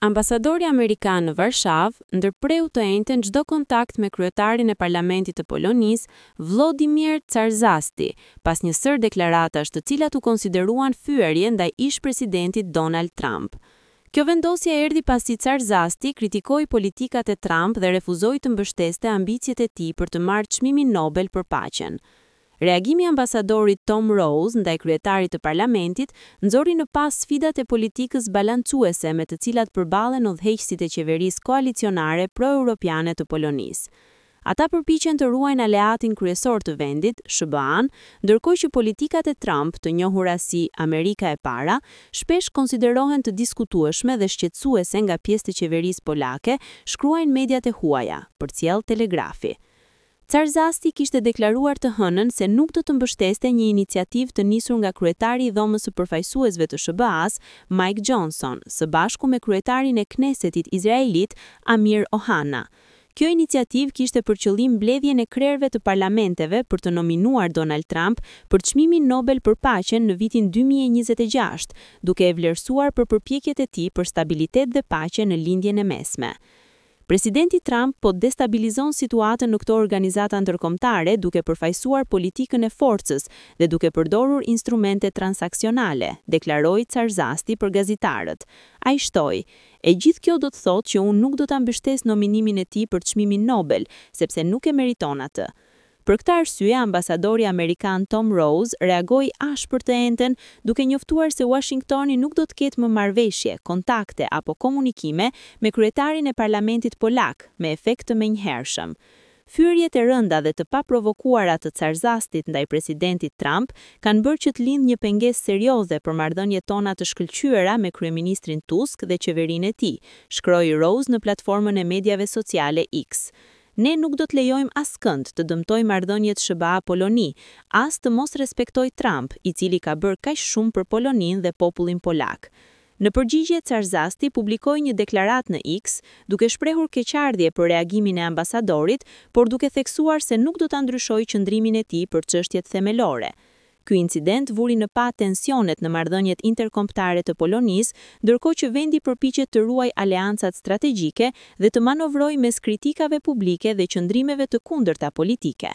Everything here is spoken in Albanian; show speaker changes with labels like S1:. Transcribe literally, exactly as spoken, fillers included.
S1: Ambasadori amerikan në Varshavë ndërpreu të enjten çdo kontakt me kryetarin e Parlamentit të Polonisë, Włodzimierz Czarzasty, pas një sërë deklaratash të cilat u konsideruan fyerje ndaj ish-presidentit Donald Trump. Kjo vendosje erdhi pasi Czarzasty kritikoi politikat e Trump dhe refuzoi të mbështeste ambiciet e tij për të marrë çmimin Nobel për paqen. Reagimi i ambasadorit Tom Rose ndaj kryetarit të parlamentit nxori në pah sfidat e politikës balancuese me të cilat përballen udhëheqësit e qeverisë koalicionare pro-europiane të Polonisë. Ata përpiqen të ruajnë aleatin kryesor të vendit, S H B A-n, ndërkohë që politikat e Trump, të njohura si Amerika e para, shpesh konsiderohen të diskutueshme dhe shqetësuese nga pjesë të qeverisë polake, shkruajnë mediat e huaja, përcjell Telegrafi. Czarzasty kishte deklaruar të hënën se nuk do të mbështeste një iniciativë të nisur nga kryetari i Dhomës së Përfaqësuesve të S H B A-s, Mike Johnson, së bashku me kryetarin e Knessetit izraelit, Amir Ohana. Kjo iniciativë kishte për qëllim mbledhjen e krerëve të parlamenteve për të nominuar Donald Trump për çmimin Nobel për paqen në vitin dy mijë e njëzet e gjashtë, duke e vlerësuar për përpjekjet e tij për stabilitet dhe paqe në Lindjen e Mesme. "Presidenti Trump po destabilizon situatën në këto organizata ndërkombëtare duke përfaqësuar politikën e forcës dhe duke përdorur instrumente transaksionale", deklaroi Czarzasty për gazetarët. Ai shtoi: "E gjithë kjo do të thotë që unë nuk do ta mbështes nominimin e tij për çmimin Nobel, sepse nuk e meriton atë." Për këtë arsye, ambasadori amerikan Tom Rose reagoi ashpër të enjten, duke njoftuar se Washingtoni nuk do të ketë më marrëveshje, kontakte apo komunikime me kryetarin e parlamentit polak, me efekt të menjëhershëm. Fyerjet e rënda dhe të paprovokuara të Czarzastit ndaj presidentit Trump kanë bërë që të lindë një pengesë serioze për marrëdhëniet tona të shkëlqyera me kryeministrin Tusk dhe qeverinë e tij, shkroi Rose në platformën e mediave sociale X. "Ne nuk do të lejojmë askënd të dëmtojë marrëdhëniet S H B A-Poloni, as të mos respektojë Trump, i cili ka bërë kaq shumë për Poloninë dhe popullin polak." Në përgjigje, Czarzasty publikoi një deklaratë në X, duke shprehur keqardhje për reagimin e ambasadorit, por duke theksuar se nuk do ta ndryshojë qëndrimin e tij për çështjet themelore. Ky incident vuri në pah tensionet në marrëdhëniet interkombëtare të Polonisë, ndërkohë që vendi përpiqet të ruajë aleancat strategjike dhe të manovrojë mes kritikave publike dhe qëndrimeve të kundërta politike.